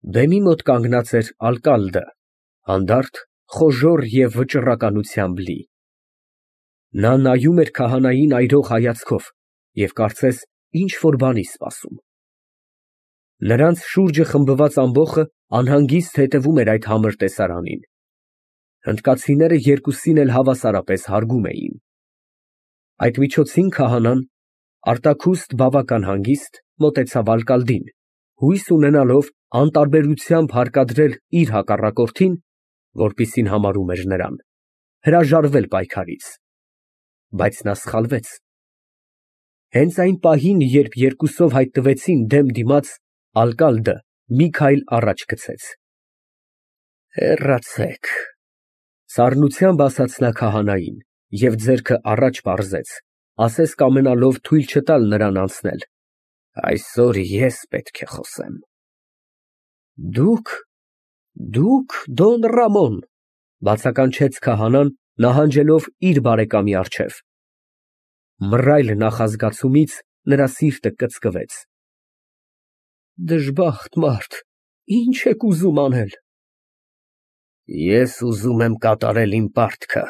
Բեմի մոտ կանգնած էր ալկալդը, հանդարտ, խոժոռ և վճռականությամբ լի։ Նա նայում էր քահանային այրող հայացքով և կարծես ինչ֊որ բանի սպասում։ Նրանց շուրջը խմբված ամբոխը անհանգիստ հետևում էր այդ համր տեսարանին։ Հնդկացիները երկուսին էլ հավասարապես հարգում էին։ Այդ միջոցին քահանան, արտաքուստ, բավական հանգիստ, մոտեցավ ալկալդին, հույս ունենալով անտարբերությամբ հարկադրել իր հակառակորդին, որպիսին համարում էր նրան, հրաժարվել պայքարից։ Բայց նա սխալվեց։ Հենց այն պահին, երբ երկուսով հայտնվեցին դեմ դիմաց, ալկալդը մի քայլ առաջ գցեց։ Հեռացեք, սառնությամբ ասաց նա քահանային և ձեռքը առաջ պարզեց, ասես կամենալով թույլ չտալ նրան անցնել։ Այսօր ես պետք է խոսեմ։ Դուք, Դոն Ռամոն, բացականչեց քահանան, նահանջելով իր բարեկամի առջև։ Մռայլ նախազգացումից նրա սիրտը կծկվեց։ Դժբախտ մարդ, ի՞նչ եք ուզում անել։ Ես ուզում եմ կատարել իմ պարտքը,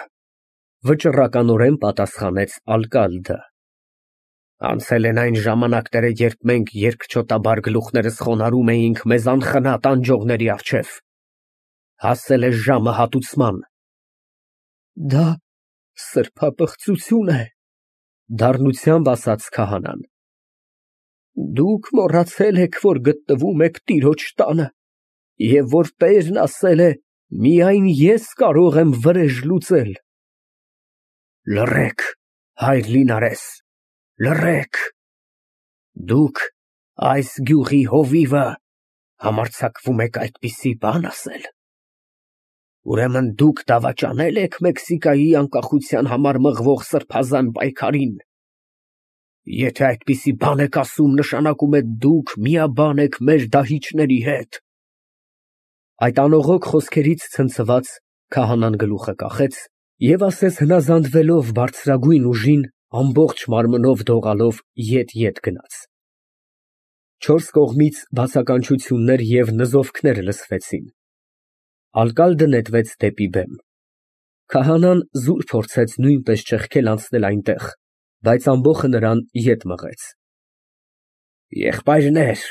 վճռականորեն պատասխանեց ալկալդը։ Անցել են այն ժամանակները, երբ մենք երկչոտաբար գլուխներս խոնարհում էինք մեզ անխնա տանջողների առջև։ Հասել է ժամը հատուցման։ Դա սրբապղծություն է, դառնությամբ ասաց քահանան։ Դուք մոռացել եք, որ գտնվում եք տիրոջ տանը, և որ տերն ասել է. միայն ես կարող եմ վրեժ լուծել։ Լռեք, հայր Լինարես, լռեք։ Դուք այս գյուղի հովիվը համարձակվում եք այդպիսի բան ասել։ Ուրեմն դուք դավաճանե՞լ եք Մեքսիկայի անկախության համար մղվող սրբազան պայքարին։ Եթե այդպիսի բան եք ասում, նշանակում է դուք միաբան եք մեր դահիճների հետ։ Այդ անողոք խոսքերից ցնցված, քահանան գլուխը կախեց և ասես հնազանդվելով բարձրագույն ուժին, ամբողջ մարմնով դողալով ետ գնաց։ Չորս կողմից բացականչություններ և նզովքներ լսվեցին։ Ալկալդը նետվեց դեպի բեմ։ Քահանան զուր փորձեց նույնպես ճեղքել անցնել այնտեղ, բայց ամբոխը նրան ետ մղեց։ Եղբայրներ,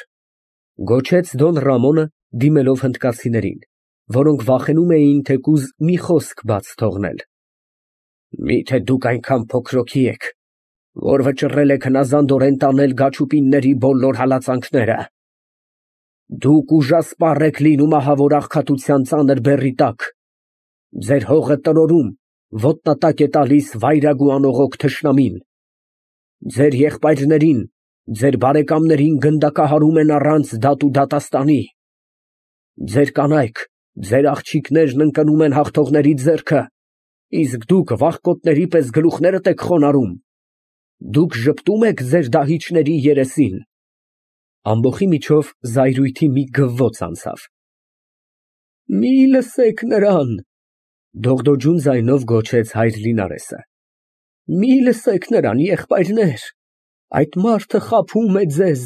գոչեց Դոն Ռամոնը, դիմելով հնդկացիներին, որոնք վախենում էին թեկուզ մի խոսք բաց թողնել։ Միթե դուք այնքան փոքրոքի եք, որ վճռել եք հնազանդորեն տանել Գաչուպինների բոլոր հալածանքները։ Դուք ուժասպառ եք լինում ահավոր աղքատության ծանր բեռի տակ։ Ձեր հողը տրորում, ոտնատակ է տալիս վայրագ ու անողոք թշնամին։ Ձեր եղբայրներին, ձեր բարեկամներին գնդակահարում են առանց դատ ու դատաստանի։ Ձեր կանայք, ձեր աղջիկներն ընկնում են հաղթողների ձեռքը, իսկ դուք վախկոտների պես գլուխներդ եք խոնարհում։ Դուք ժպտում եք ձեր դահիճների երեսին։ Ամբոխի միջով զայրույթի մի գվվոց անցավ։ Մի լսեք նրան, դողդոջուն ձայնով գոչեց հայր Լինարեսը։ Մի լսեք նրան, եղբայրներ, այդ մարդը խաբում է ձեզ,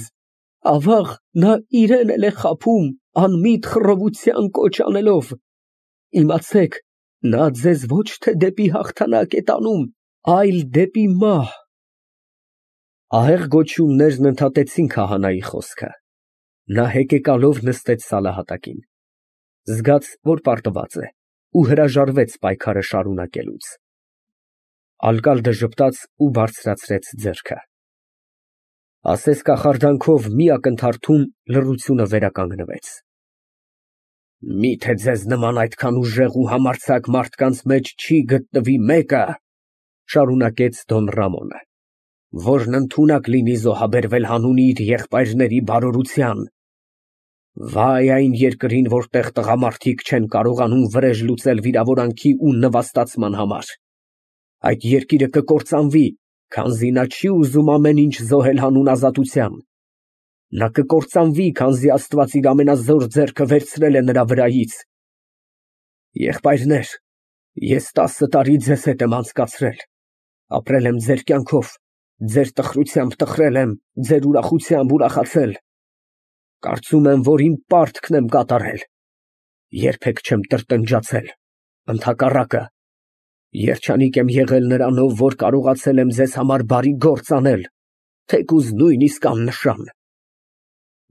ավաղ նա իրեն էլ է խաբում, անմիտ խռովության կոչ անելով։ Իմացեք, նա ձեզ ոչ թե դեպի հաղթանակ է տանում, այլ դեպի մահ։ Ահեղ գոչյուններն ընդհատեցին քահանայի խոսքը։ Նա հեկեկալով նստեց սալահատակին, զգաց, որ պարտված է, ու հրաժարվեց պայքարը շարունակելուց։ Ալկալդը ժպտաց ու բարձրացրեց ձեռքը։ Ասես կախարդանքով մի ակնթարթում լռությունը վերականգնվեց։ Միթե ձեզ նման այդքան ուժեղ ու համարձակ մարդկանց մեջ չի գտնվի մեկը, շարունակեց Դոն Ռամոնը, որն ընդունակ լինի զոհաբերվել հանուն իր եղբայրների բարօրության։ Վայ այն երկրին, որտեղ տղամարդիկ չեն կարողանում վրեժ լուծել վիրավորանքի ու նվաստացման համար։ Այդ երկիրը կկործանվի, քանզի նա չի ուզում ամեն ինչ զոհել հանուն ազատության։ Նա կկործանվի, քանզի Աստված իր ամենազոր ձեռքը վերցրել է նրա վրայից։ Եղբայրներ, ես 10 տարի ձեզ հետ եմ անցկացրել, ապրել եմ ձեր կյանքով, ձեր տխրությամբ տխրել եմ, ձեր ուրախությամբ ուրախացել։ Կարծում եմ, որ իմ պարտքն եմ կատարել։ Երբեք չեմ տրտնջացել, ընդհակառակը, երջանիկ եմ եղել նրանով, որ կարողացել եմ ձեզ համար բարի գործ անել, թեկուզ նույնիսկ աննշան։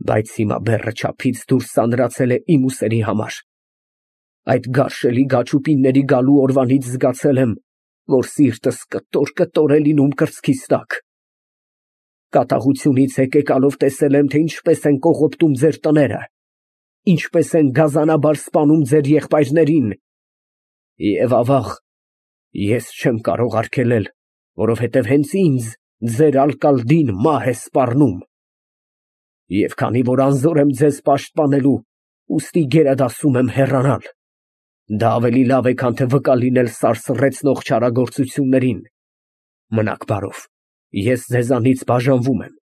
Բայց հիմա բեռը չափից դուրս սանրացել է իմ ուսերի համար։ Այդ գարշելի գաչուպինների գալու օրվանից զգացել եմ, որ սիրտս կտոր է լինում կրծքիս տակ։ Կատաղությունից եկեկալով տեսել եմ, թե ինչպես են կողոպտում ձեր տները, ինչպես են գազանաբար սպանում ձեր եղբայրներին։ Եվ ավաղ, ես չեմ կարող արգելել, որովհետև հենց ինձ ձեր ալկալդին մահ է սպառնում։ Եվ քանի որ անզոր եմ ձեզ պաշտպանելու, ուստի գերադասում եմ հեռանալ։ Դա ավելի լավ է, քան թե վկա լինել սարսռեցնող չարագործություններին։ Մնաք բարով, ես ձեզանից բաժանվում եմ։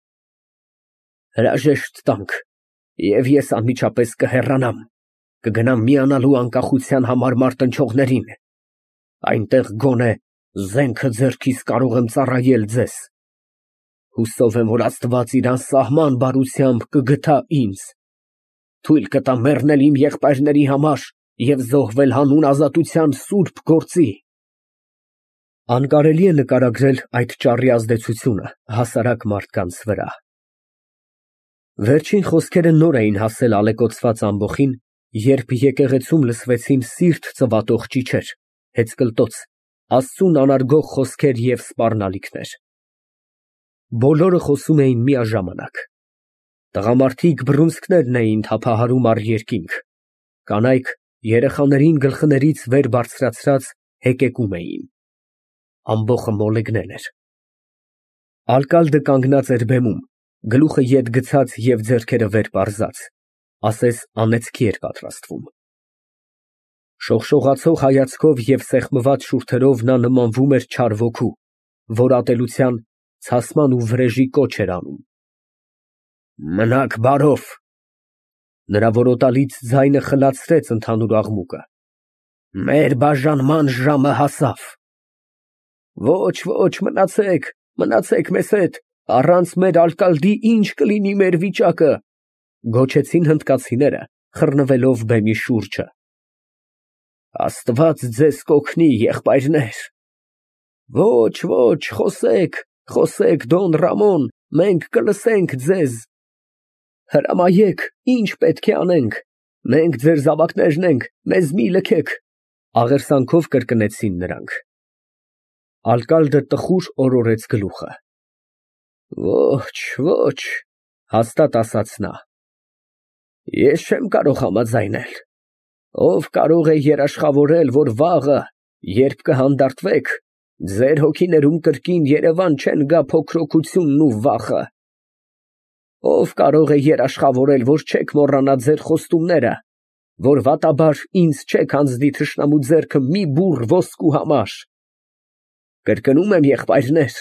Հրաժեշտ տանք, և ես անմիջապես կհեռանամ, կգնամ միանալու անկախության համար մարտնչողներին, այնտեղ գոնե զենքը ձեռքիս կարող եմ ծառայել ձեզ։ Հուսով եմ, որ Աստված իր անսահման բարությամբ կգթա ինձ, թույլ կտա մեռնել իմ եղբայրների համար և զոհվել հանուն ազատության սուրբ գործի։ Անկարելի է նկարագրել այդ ճառի ազդեցությունը հասարակ մարդկանց վրա։ Վերջին խոսքերը նոր էին հասել ալեկոծված ամբոխին, երբ եկեղեցում լսվեցին սիրտ ծվատող ճիչեր, հեծկլտոց, Աստծուն անարգող խոսքեր և սպառնալիքներ։ Բոլորը խոսում էին միաժամանակ։ Տղամարդիկ բռունցքներն էին թափահարում առ երկինք, կանայք երեխաներին գլխներից վեր բարձրացրած հեկեկում էին։ Ամբոխը մոլեգնել էր։ Ալկալդը կանգնած էր բեմում, գլուխը ետ գցած և ձեռքերը վեր պարզած, ասես անեծքի էր պատրաստվում։ Շողշողացող հայացքով և սեղմված շուրթերով նա նմանվում էր չար ոգու, որ ատելության, ցասման ու վրեժի կոչ էր անում։ Մնաք բարով։ Նրա որոտալից ձայնը խլացրեց ընդհանուր աղմուկը։ Մեր բաժանման ժամը հասավ։ Ոչ, մնացեք մեզ հետ, առանց մեր ալկալդի ինչ կլինի մեր վիճակը, գոչեցին հնդկացիները, խռնվելով բեմի շուրջը։ Աստված ձեզ կօգնի, եղբայրներ։ Ոչ, խոսեք, Դոն Ռամոն, մենք կլսենք ձեզ։ Հրամայեք, ինչ պետք է անենք, մենք ձեր զավակներն ենք, մեզ մի լքեք, աղերսանքով կրկնեցին նրանք։ Ալկալդը տխուր օրորեց գլուխը։ Ոչ, հաստատ ասաց նա։ Ես չեմ կարող համաձայնել։ Ով կարող է երաշխավորել, որ վաղը, երբ կհանդարտվեք, ձեր հոգիներում կրկին երևան չեն գա փոքրոքությունն ու վախը։ Ով կարող է երաշխավորել, որ չեք մոռանա ձեր խոստումները, որ վատաբար ինձ չեք հանձնի թշնամու ձեռքը մի բուռ ոսկու համար։ Կրկնում եմ, եղբայրներ,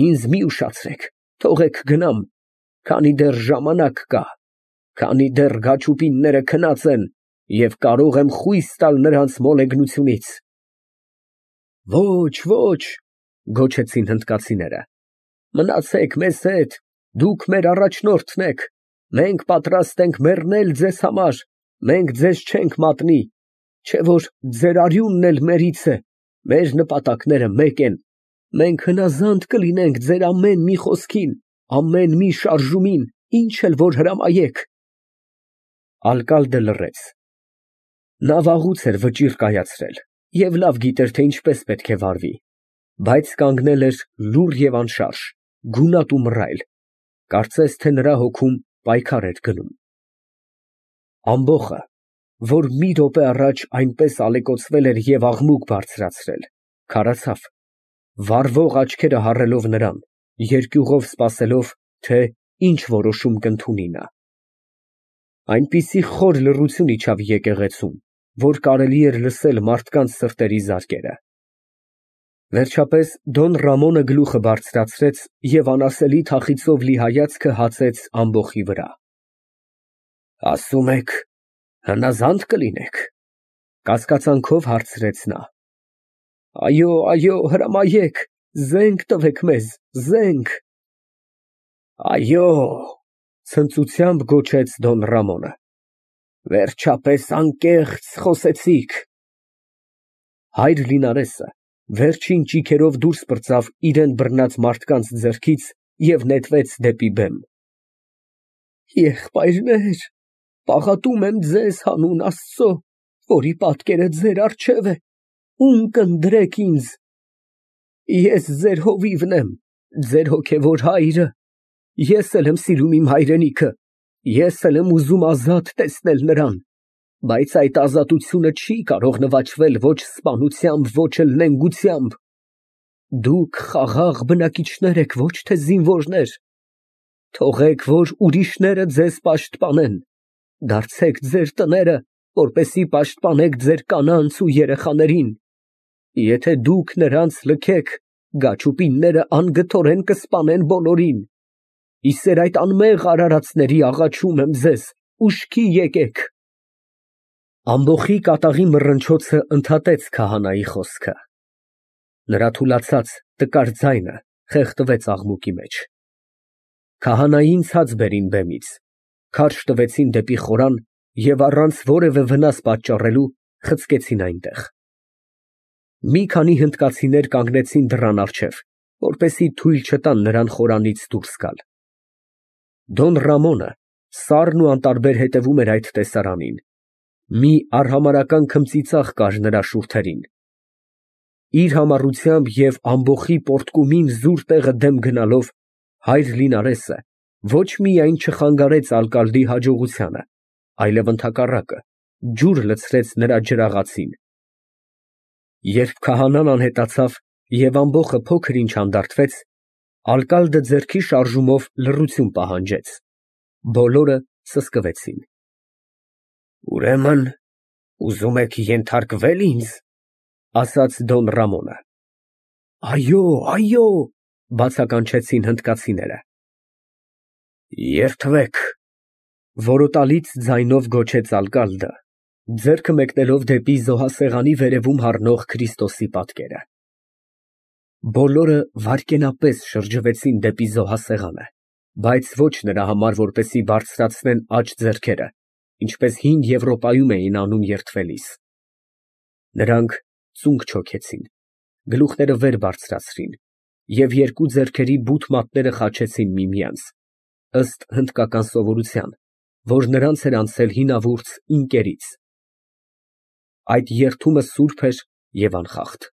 ինձ մի ուշացրեք, թողեք գնամ, քանի դեռ ժամանակ կա, քանի դեռ գաչուպինները քնած են և կարող եմ խույս տալ նրանց մոլեգնությունից։ Ոչ, գոչեցին հնդկացիները, մնացեք մեզ հետ, դուք մեր առաջնորդն եք, մենք պատրաստ ենք մեռնել ձեզ համար, մենք ձեզ չենք մատնի, չէ որ ձեր արյունն էլ մերից է, մեր նպատակները մեկ են, մենք հնազանդ կլինենք ձեր ամեն մի խոսքին, ամեն մի շարժումին, ինչ էլ որ հրամայեք։ Ալկալդը լռեց։ Նա վաղուց էր վճիռ կայացրել և լավ գիտեր, թե ինչպես պետք է վարվի, բայց կանգնել էր լուռ և անշարժ, գունատ ու մռայլ, կարծես թե նրա հոգում պայքար էր գնում։ Ամբոխը, որ մի րոպե առաջ այնպես ալեկոծվել էր և աղմուկ բարձրացրել, քարացավ, վառվող աչքերը հառելով նրան, երկյուղով սպասելով, թե ինչ որոշում կընդունի նա։ Այնպիսի խոր լռություն իջավ եկեղեցում, որ կարելի էր լսել մարդկանց սրտերի զարկերը։ Վերջապես Դոն Ռամոնը գլուխը բարձրացրեց և անասելի թախիծով լի հայացքը հացեց ամբոխի վրա։ Ասում եք, հնազանդ կլինեք, կասկածանքով հարցրեց նա։ Այո, հրամայեք, զենք տվեք մեզ, զենք։ Այո, Ցնծությամբ գոչեց Դոն Ռամոնը։ Վերջապես անկեղծ խոսեցիք։ Հայր Լինարեսը վերջին ճիգերով դուրս պրծավ իրան բռնած մարդկանց ձեռքից և նետվեց դեպի բեմ։ Եղբայրներ, պաղատում եմ ձեզ հանուն Աստծո, որի պատկերը ձեր առջև է, ում կընտրեք ինձ։ Ես ձեր հովիվն եմ, ձեր հոգևոր հայրը, ես էլ եմ սիրում իմ հայրենիքը, ես էլ եմ ուզում ազատ տեսնել նրան, բայց այդ ազատությունը չի կարող նվաճվել ոչ սպանությամբ, ոչ էլ նենգությամբ։ Դուք խաղաղ բնակիչներ եք, ոչ թե զինվորներ։ Թողեք, որ ուրիշները ձեզ պաշտպանեն, դարձեք ձեր տները, որպեսզի պաշտպանեք ձեր կանանց ու երեխաներին։ Եթե դուք նրանց լքեք, գաչուպինները անգթորեն կսպանեն բոլորին։ Իսեր այդ անմեղ արարածների աղաչում եմ ձեզ, ուշքի եկեք։ Ամբոխի կատաղի մռնչոցը ընդհատեց քահանայի խոսքը։ Նրա թուլացած տկար ձայնը խեղդվեց աղմուկի մեջ։ Քահանային ցած բերին բեմից, քարշ տվեցին դեպի խորան և առանց որևէ վնաս պատճառելու խցկեցին այնտեղ։ Մի քանի հնդկացիներ կանգնեցին դռան առջև, որպեսզի թույլ չտան նրան խորանից դուրս գալ։ Դոն Ռամոնը սառն ու անտարբեր հետևում էր այդ տեսարանին։ Մի արհամարհական քմծիծաղ կար նրա շուրթերին։ Իր համառությամբ և ամբոխի պոռթկումին զուր տեղը դեմ գնալով հայր Լինարեսը ոչ միայն չխանգարեց ալկալդի հաջողությանը, այլև ընդհակառակը, ջուր լցրեց նրա ջրաղացին։ Երբ քահանան անհետացավ և ամբոխը փոքր ինչ հանդարտվեց, ալկալդը ձեռքի շարժումով լռություն պահանջեց։ Բոլորը սսկվեցին։ Ուրեմն ուզում եք ենթարկվե՞լ ինձ, ասաց Դոն Ռամոնը։ Այո, այո, բացականչեցին հնդկացիները։ Երդվեք, որոտալից ձայնով գոչեց ալկալդը, ձեռքը մեկնելով դեպի զոհասեղանի վերևում առնող Քրիստոսի պատկերը։ Բոլորը վայրկենապես շրջվեցին դեպի զոհասեղանը, բայց ոչ նրա համար, որպեսզի բարձրացնեն աջ ձեռքերը, ինչպես հին Եվրոպայում էին անում երդվելիս։ Նրանք ծունկ չոքեցին, գլուխները վեր բարձրացրին և երկու ձեռքերի բութ մատները խաչեցին միմյանց, ըստ հնդկական սովորության, որ նրանց էր անցել հինավուրց ինկերից։ Այդ երդումը սուրբ էր և անխախտ։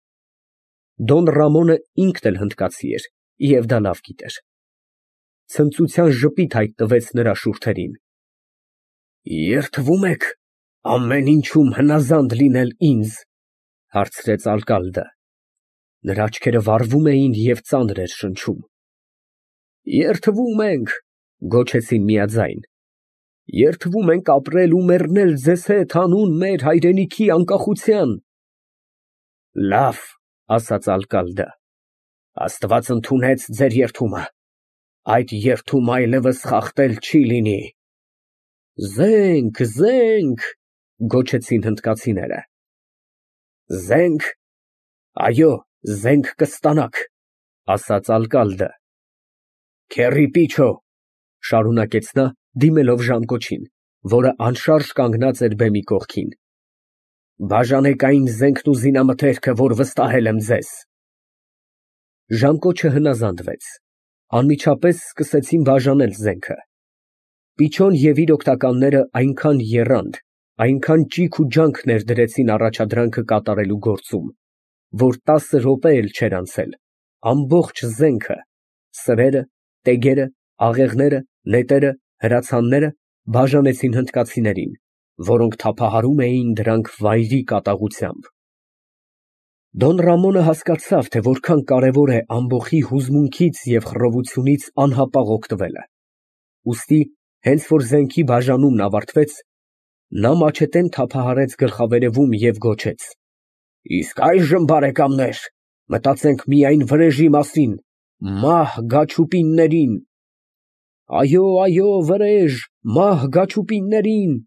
Դոն Ռամոնը ինքն էլ հնդկացի էր և դա լավ գիտեր։ Ցնծության ժպիտ հայտնվեց նրա շուրթերին։ Երդվում եք ամեն ինչում հնազանդ լինել ինձ, հարցրեց ալկալդը։ Նրա աչքերը վառվում էին և ծանր էր շնչում։ Երդվում ենք, գոչեցին միաձայն։ Երդվում ենք ապրել ու մեռնել ձեզ հետ հանուն մեր հայրենիքի անկախության։ Լավ, ասաց ալկալդը, Աստված ընդունեց ձեր երդումը, այդ երդումը այլևս խախտել չի լինի։ Զենք, զենք, գոչեցին հնդկացիները։ Զենք, այո, զենք կստանաք, ասաց ալկալդը։ Քեռի պիչո, շարունակեց նա, դիմելով ժամկոչին, որը անշարժ կանգնած էր բեմի կողքին։ Բաժանեք այն զենքն ու զինամթերքը, որ վստահել եմ ձեզ։ Ժամկոչը հնազանդվեց։ Անմիջապես սկսեցին բաժանել զենքը։ Պիչոն և իր օգնականները այնքան եռանդ, այնքան ճիգ ու ջանք ներդրեցին առաջադրանքը կատարելու գործում, որ 10 րոպե էլ չէր անցել, ամբողջ զենքը, սրերը, տեգերը, աղեղները, նետերը, հրացանները բաժանեցին հնդկացիներին, որոնք թափահարում էին դրանք վայրի կատաղությամբ։ Դոն Ռամոնը հասկացավ, թե որքան կարևոր է ամբոխի հուզմունքից և խռովությունից անհապաղ օգտվելը։ Ուստի, հենց որ զենքի բաժանումն ավարտվեց, նա մաչետեն թափահարեց գլխավերևում և գոչեց. Իսկ այժմ, բարեկամներ, մտածենք միայն վրեժի մասին, մահ գաչուպիններին։ Այո, այո, վրեժ, մահ գաչուպիններին,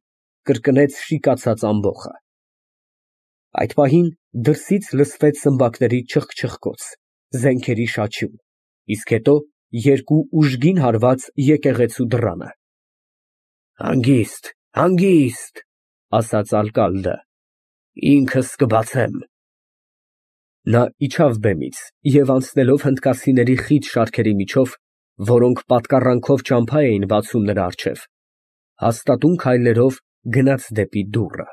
կրկնեց շիկացած ամբոխը։ Այդ պահին դրսից լսվեց սմբակների չխկչխկոց, զենքերի շաչյուն, իսկ հետո երկու ուժգին հարված եկեղեցու դռանը։ Հանգիստ, հանգիստ, ասաց ալկալդը, ինքս կբացեմ։ Նա իջավ բեմից և անցնելով հնդկացիների խիտ շարքերի միջով, որոնք պատկառանքով ճամփա էին բացում նրա առջև, հաստատուն քայլերով գնաց դեպի դուռը։